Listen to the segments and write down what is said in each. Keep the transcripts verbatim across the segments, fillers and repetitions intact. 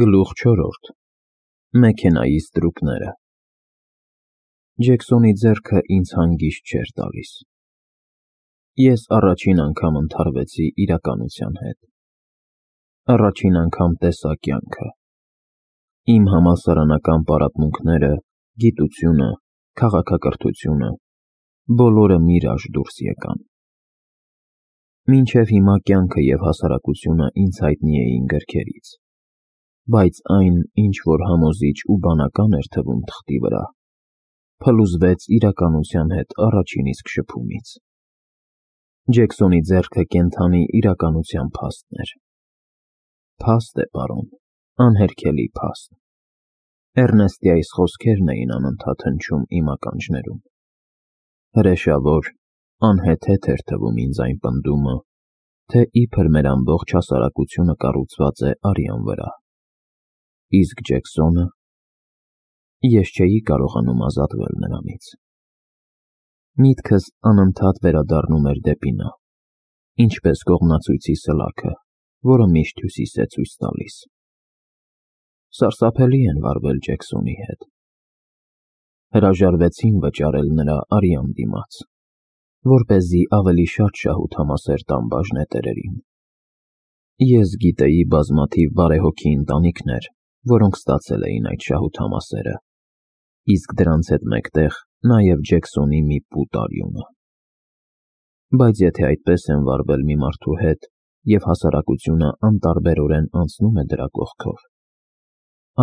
Գլուխ չորրորդ. Մեքենայի ստրուկները։ Ջեքսոնի ձեռքը ինձ հանգիստ չէր տալիս։ Ես առաջին անգամ ընդհարվեցի իրականության հետ։ Առաջին անգամ տեսա կյանքը։ Իմ համալսարանական պարապմունքները, գիտությունը, քաղաքակրթությունը, բոլորը միրաժ դուրս եկան։ Մինչև հիմա կյանքը և հասարակությունը ինձ հայտնի էին գրքերից, բայց այն, ինչ որ համոզիչ ու բանական էր թվում թղթի վրա, փլուզվեց իրականության հետ առաջին իսկ շփումից։ Ջեքսոնի ձեռքը կենդանի իրականության փաստն էր։ Փաստ է, պարոն, անհերքելի փաստ։ Էռնեստի այս խոսքերն էին անընդհատ հնչում իմ ականջներում։ Հրեշավոր, անհեթեթ էր թվում ինձ այն պնդումը, թե իբր մեր ամբողջ հասարակությունը կառուցված է արյան վրա։ Իսկ Ջեքսոնը… Ես չէի կարողանում ազատվել նրանից։ Միտքս անընդհատ վերադառնում էր դեպի նա, ինչպես կողմնացույցի սլաքը, որը միշտ հյուսիս է ցույց տալիս։ Սարսափելի են վարվել Ջեքսոնի հետ։ Հրաժարվեցին վճարել նրա արյան դիմաց, որպեսզի ավելի շատ շահութամասեր տամ բաժնետերերին։ Ես գիտեի բազմաթիվ բարեհոգի ընտանիքներ, որոնք ստացել էին այդ շահութամասերը, իսկ դրանց հետ մեկտեղ նաև Ջեքսոնի մի պուտ արյունը։ Բայց եթե այդպես են վարվել մի մարդու հետ, և հասարակությունը անտարբերորեն անցնում է դրա կողքով,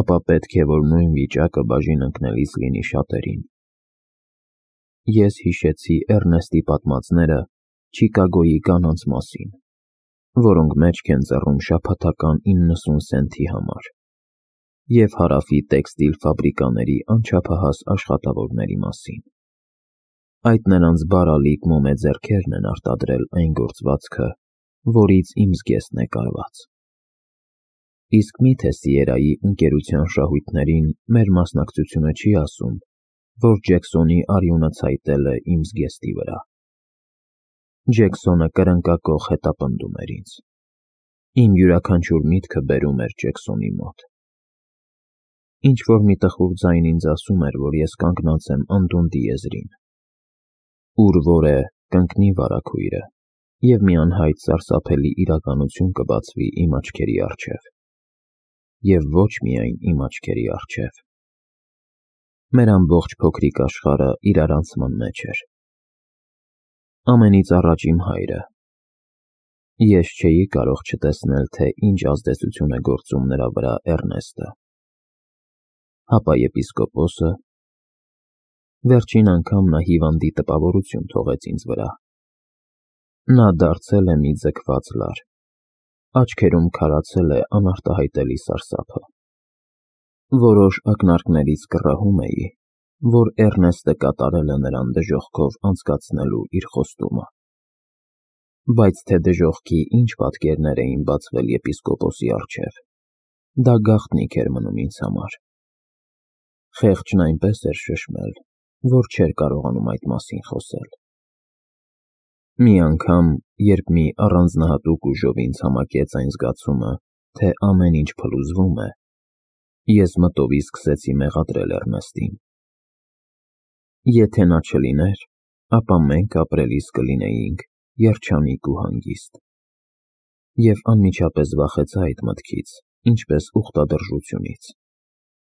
ապա պետք է, որ նույն վիճակը բաժին ընկնելիս լինի շատերին։ Ես հիշեցի Էռնեստի պատմածները Չիկագոյի կանանց մասին, որոնք մեջք են ծռում շաբաթական իննսուն սենթի համար, և Հարավի տեքստիլ ֆաբրիկաների անչափահաս աշխատավորների մասին։ Այդ նրանց բարալիկ մոմե ձեռքերն են արտադրել այն գործվածքը, որից իմ զգեստն է կարված։ Իսկ մի՞թե Սիերայի ընկերության շահույթներին մեր մասնակցությունը չի ասում, որ Ջեքսոնի արյունը ցայտել է իմ զգեստի վրա։ Ջեքսոնը կրնկակոխ հետապնդում էր ինձ։ Իմ յուրաքանչյուր միտքը բերում էր Ջեքսոնի մոտ։ Ինչ-որ մի տխուր ձայն ինձ ասում էր, որ ես կանգնած եմ անդունդի եզրին, ուր որ է կընկնի վարագույրը, և մի անհայտ սարսափելի իրականություն կբացվի իմ աչքերի առջև։ Եվ ոչ միայն իմ աչքերի առջև։ Մեր ամբողջ փոքրիկ աշխարհը իրարանցման մեջ էր։ Ամենից առաջ իմ հայրը։ Ես չէի կարող չտեսնել, թե ինչ ազդեցություն է գործում նրա վրա Էռնեստը։ Հապա եպիսկոպոսը… Վերջին անգամ նա հիվանդի տպավորություն թողեց ինձ վրա։ Նա դարձել է մի ձգված լար, աչքերում քարացել է անարտահայտելի սարսափը։ Որոշ ակնարկներից կռահում էի, որ Էռնեստը կատարել է նրան դժոխքով անցկացնելու իր խոստումը։ Բայց թե դժոխքի ինչ պատկերներ էին բացվել եպիսկոպոսի առջև, դա գաղտնիք էր մնում ինձ համար։ Խեղճն այնպես էր շշմել, որ չէր կարողանում այդ մասին խոսել։ Մի անգամ, երբ մի առանձնահատուկ ուժով ինձ համակեց այն զգացումը, թե ամեն ինչ փլուզվում է, ես մտովի սկսեցի մեղադրել Էռնեստին։ Եթե նա չլիներ, ապա մենք ապրելիս կլինեինք երջանիկ ու հանգիստ։ Եվ անմիջապես վախեցա այդ մտքից, ինչպես ուխտադրժությունից։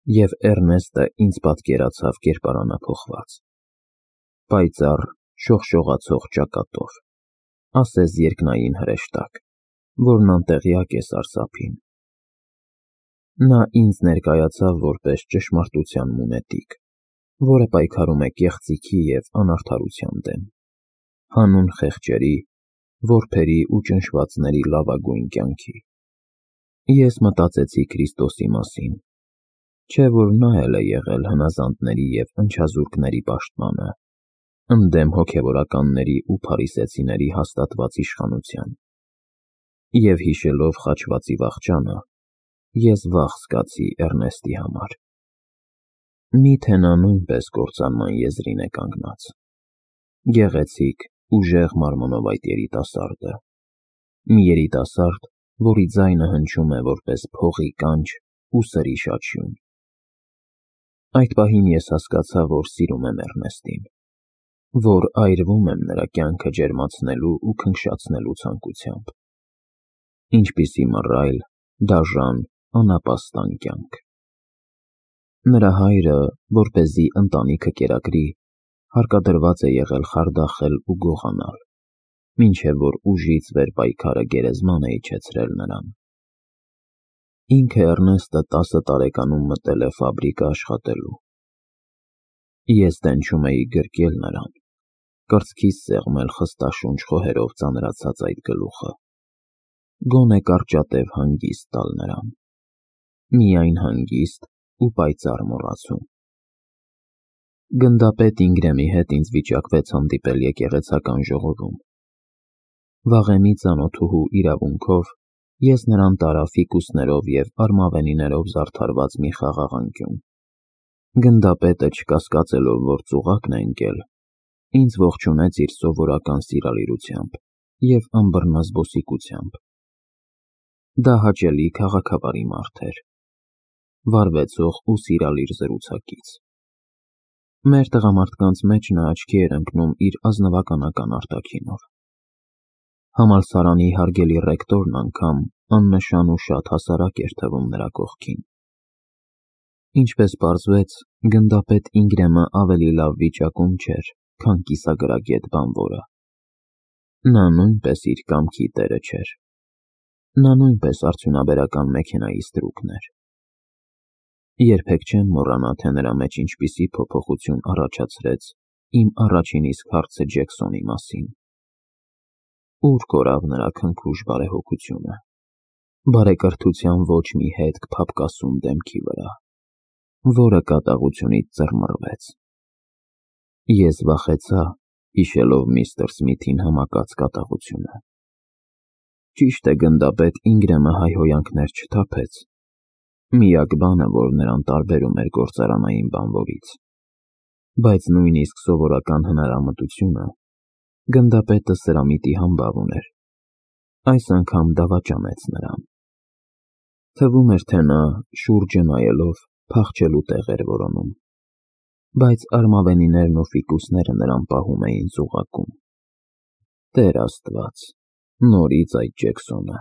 Եվ Էռնեստը ինձ պատկերացավ կերպարանափոխված, պայծառ, շողշողացող ճակատով, ասես երկնային հրեշտակ, որն անտեղյակ է սարսափին։ Նա ինձ ներկայացավ որպես ճշմարտության մունետիկ, որը պայքարում է կեղծիքի և անարդարության դեմ, հանուն խեղճերի, որբերի ու ճնշվածների լավագույն կյանքի։ Ես մտածեցի Քրիստոսի մասին, չէ՞ որ նա էլ է եղել հնազանդների և ընչազուրկների պաշտպանը, ընդդեմ հոգևորականների ու փարիսեցիների հաստատված իշխանության։ Եվ հիշելով խաչվածի վախճանը, ես վախ զգացի Էռնեստի համար։ Մի՞թե նա նույնպես կործանման եզրին է կանգնած։ Գեղեցիկ, ուժեղ մարմնով այդ երիտասարդը։ Մի երիտասարդ, որի ձայնը հնչում է որպես փողի կանչ ու սրի շաչյուն։ Այդ պահին ես հասկացա, որ սիրում եմ Էռնեստին, որ այրվում եմ նրա կյանքը ջերմացնելու ու քնքշացնելու ցանկությամբ։ Ինչպիսի մռայլ, դաժան, անապաստան կյանք։ Նրա հայրը, որպեսզի ընտանիքը կերակրի, հարկադրված է եղել խարդախել ու գողանալ, մինչև որ ուժից վեր պայքարը գերեզման է իջեցրել նրան։ Ինքը Էռնեստը տասը տարեկանում մտել է ֆաբրիկա աշխատելու։ Ես տենչում էի գրկել նրան, կրծքիս սեղմել խստաշունչ խոհերով ծանրացած այդ գլուխը, գոնե կարճատև հանգիստ տալ նրան, միայն հանգիստ ու պայծառ մոռացում։ Գնդապետ Ինգրեմի հետ ինձ վիճակվեց հանդիպել եկեղեցական ժողովում։ Վաղեմի ծանոթուհու իրավունքով ես նրան տարա ֆիկուսներով և արմավենիներով զարդարված մի խաղաղ անկյուն։ Գնդապետը, չկասկածելով, որ ծուղակն է ընկել, ինձ ողջունեց իր սովորական սիրալիրությամբ և ըմբռնազբոսիկությամբ։ Դա հաճելի քաղաքավարի մարդ էր, վարվեցող ու սիրալիր զրուցակից։ Մեր տղամարդկանց մեջ նա աչքի էր ընկնում իր ազնվականական արտաքինով։ Համալսարանի հարգելի ռեկտորն անգամ աննշան ու շատ հասարակ էր թվում նրա կողքին։ Ինչպես պարզվեց, գնդապետ Ինգրեմը ավելի լավ վիճակում չէր, քան կիսագրագետ բանվորը։ Նա նույնպես իր կամքի տերը չէր։ Նա նույնպես արդյունաբերական մեքենայի ստրուկն էր։ Երբեք չեմ մոռանա, թե նրա մեջ ինչպիսի փոփոխություն առաջացրեց իմ առաջին իսկ հարցը Ջեքսոնի մասին։ Ուր կորավ նրա քնքուշ բարեհոգությունը, բարեկրթության ոչ մի հետք փափկասուն դեմքի վրա, որը կատաղությունից ծռմռվեց։ Ես վախեցա, հիշելով միստր Սմիթին համակած կատաղությունը։ Ճիշտ է, գնդապետ Ինգրեմը հայհոյանքներ չթափեց։ Միակ բանը, որ նրան տարբերում էր գործարանային բանվորից։ Բայց նույնիսկ սովորական հնարամտությունը գնդապետը սրամիտի համբավ ուներ, այս անգամ դավաճանեց նրան։ Թվում էր, թե նա, շուրջը նայելով, փախչելու տեղ էր որոնում, բայց արմավենիներն ու ֆիկուսները նրան պահում էին ծուղակում։ Տեր Աստված, նորից այդ Ջեքսոնը։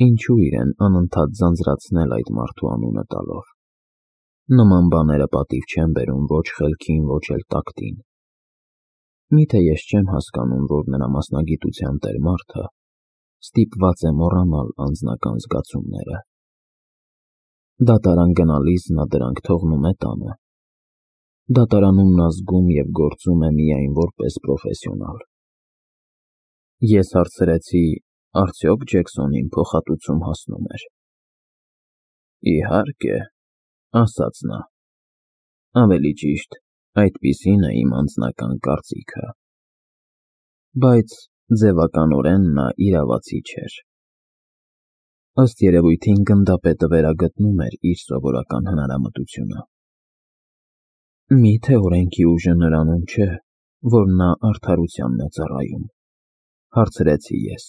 Ինչու իրեն անընդհատ ձանձրացնել այդ մարդու անունը տալով։ Նման բաները պատիվ չեն բերում ոչ խելքին, ոչ էլ տակտին։ Միթե ես չեմ հասկանում, որ նրա մասնագիտության տեր մարդը ստիպված է մոռանալ անձնական զգացումները։ Դատարան գնալիս նա դրանք թողնում է տանը։ Դատարանում նա զգում և գործում է միայն որպես պրոֆեսիոնալ։ Ես հարցրեցի, արդյոք Ջեքսոնին փոխհատուցում հասնում էր։ Իհարկե, ասաց նա։ Ավելի ճիշտ, այդպիսին է իմ անձնական կարծիքը։ Բայց ձևականորեն նա իրավացի չէր։ Ըստ երևույթին գնդապետը վերագտնում էր իր սովորական հնարամտությունը։ Միթե օրենքի ուժը նրանում չէ, որ նա արդարությանն է ծառայում, հարցրեցի ես։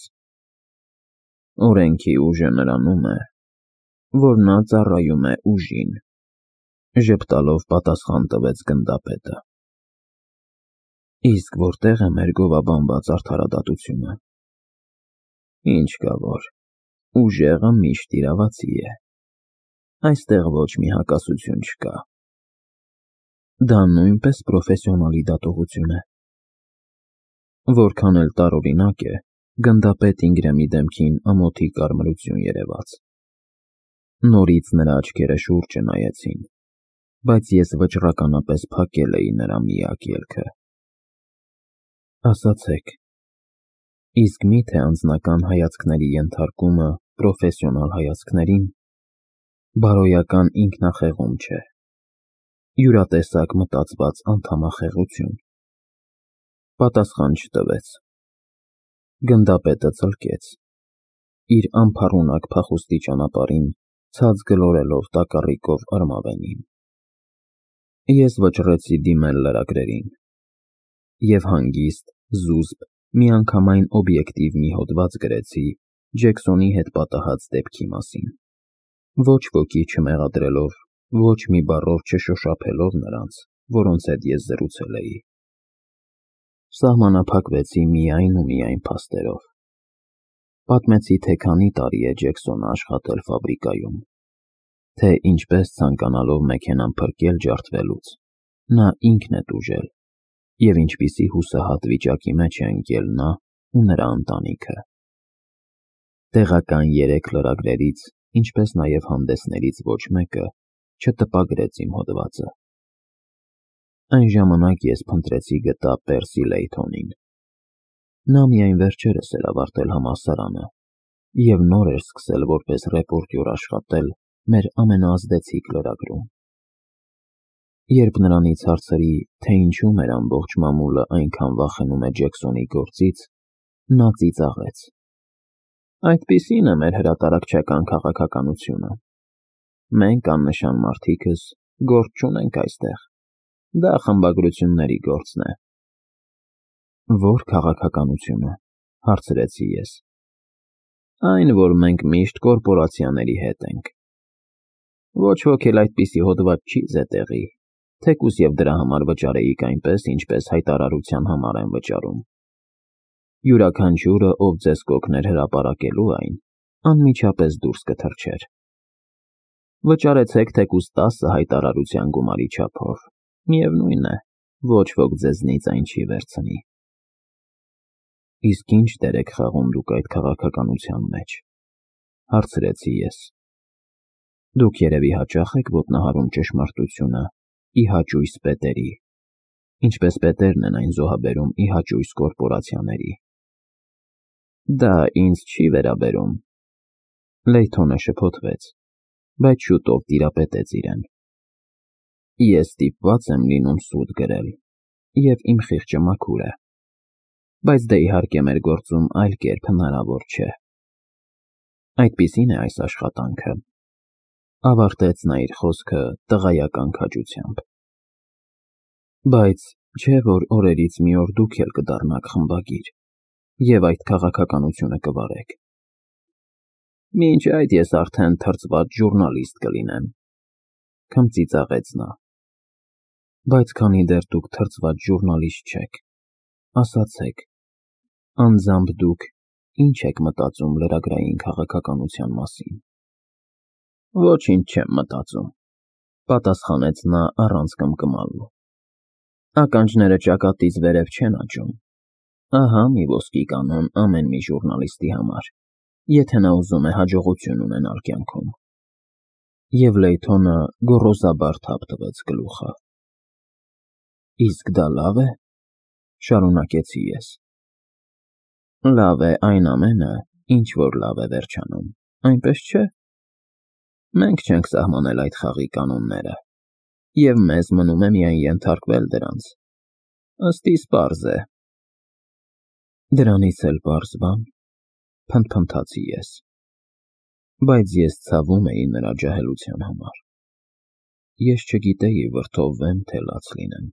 Օրենքի ուժը նրանում է, որ նա ծառայում է ուժին, ժպտալով պատասխան տվեց գնդապետը։ Իսկ որտեղ է մեր գովաբանված արդարադատությունը։ Ինչ կա որ, ուժեղը միշտ իրավացի է։ Այստեղ ոչ մի հակասություն չկա։ Դա նույնպես պրոֆեսիոնալի դատողություն է։ Որքան էլ տարօրինակ է, գնդապետ Ինգրեմի դեմքին ամոթի կարմրություն երևաց։ Նորից նրա աչքերը շուրջը նայեցին, բայց ես վճռականապես փակել էի նրա միակ ելքը։ Ասացեք, իսկ միթե անձնական հայացքների ենթարկումը պրոֆեսիոնալ հայացքներին բարոյական ինքնախեղում չէ, յուրատեսակ մտածված անդամախեղություն։ Պատասխան չտվեց։ Գնդապետը ծլկեց, իր անփառունակ փախուստի ճանապարհին ցած գլորելով տակառիկով արմավենին։ Ես վճռեցի դիմել լրագրերին և հանգիստ, զուսպ, միանգամայն օբյեկտիվ մի հոդված գրեցի Ջեքսոնի հետ պատահած դեպքի մասին։ Ոչ ոքի չմեղադրելով, ոչ մի բառով չշոշափելով նրանց, որոնց հետ ես զրուցել էի։ Սահմանափակվեցի միայն ու միայն փաստերով։ Պատմեցի, թե քանի տարի է Ջեքսոնը աշխատել ֆաբրիկայում, թե ինչպես ցանկանալով մեքենան փրկել ջարդվելուց, նա ինքն է տուժել, և ինչպիսի հուսահատ վիճակի մեջ է ընկել նա ու նրա ընտանիքը։ Տեղական երեք լրագրերից, ինչպես նաև հանդեսներից ոչ մեկը չտպագրեց իմ հոդվածը։ Այն ժամանակ ես փնտրեցի գտա Պերսի Լեյթոնին։ Նա միայն վերջերս էր ավարտել համալսարանը և նոր էր սկսել որպես ռեպորտյոր աշխատել մեր ամենաազդեցիկ լրագրում։ Երբ նրանից հարցրի, թե ինչու մեր ամբողջ մամուլը այնքան վախենում է Ջեքսոնի գործից, նա ծիծաղեց. «Այդպիսին է մեր հրատարակչական քաղաքականությունը։ Մենք աննշան մարդիկս գործ չունենք այստեղ, դա խմբագրությունների գործն է»։ «Ո՞ր քաղաքականությունը», հարցրեցի ես։ «Այն, որ մենք միշտ կորպորացիաների հետ ենք։ Ոչ ոք էլ այդպիսի հոդված չի զետեղի, թեկուզ և դրա համար վճարեիք այնպես, ինչպես հայտարարության համար են վճարում։ Յուրաքանչյուրը, ով ձեզ կօգներ հրապարակելու այն, անմիջապես դուրս կթռչեր։ Վճարեցեք թեկուզ տասը հայտարարության գումարի չափով, միևնույն է, ոչ ոք ձեզնից այն չի վերցնի»։ «Իսկ ի՞նչ դեր եք խաղում դուք այդ քաղաքականության մեջ», հարցրեցի ես։ «Դուք երևի հաճախ եք ոտնահարում ճշմարտությունը ի հաճույս պետերի, ինչպես պետերն են այն զոհաբերում ի հաճույս կորպորացիաների»։ «Դա ինձ չի վերաբերում», Լեյթոնը շփոթվեց, բայց շուտով տիրապետեց իրեն։ «Ես ստիպված եմ լինում սուտ գրել, և իմ խիղճը մաքուր է, բայց դե իհարկե մեր գործում այլ կերպ հնարավոր չէ։ Այդպիսին է այս աշխատանքը», ավարտեց նա իր խոսքը տղայական քաջությամբ։ «Բայց չէ՞ որ օրերից մի օր դուք էլ կդառնաք խմբագիր և այդ քաղաքականությունը կվարեք»։ «Մինչ այդ ես արդեն թռծված ժուռնալիստ կլինեմ», քմծիծաղեց նա։ «Բայց քանի դեռ դուք թռծված ժուռնալիստ չեք, ասացեք, անձամբ դուք ի՞նչ եք մտածում լրագրային քաղաքականության մասին»։ «Ոչինչ չեմ մտածում», պատասխանեց նա առանց կմկմալու։ «Ականջները ճակատից վերև չեն աճում։ Ահա մի ոսկի կանոն ամեն մի ժուռնալիստի համար, եթե նա ուզում է հաջողություն ունենալ կյանքում»։ Եվ Լեյթոնը գոռոզաբար թափ տվեց գլուխը։ «Իսկ դա լավ է», շարունակեցի ես։ «Լավ է այն ամենը, ինչ որ լավ է վերջանում, այնպես չէ՞։ Մենք չենք սահմանել այդ խաղի կանոնները, և մեզ մնում է միայն ենթարկվել դրանց։ Ըստ իս պարզ է»։ «Դրանից էլ պարզ բա՞ն», փնթփնթացի ես, բայց ես ցավում էի նրա ջահելության համար։ Ես չգիտեի վրդովվեմ, թե լաց լինեմ։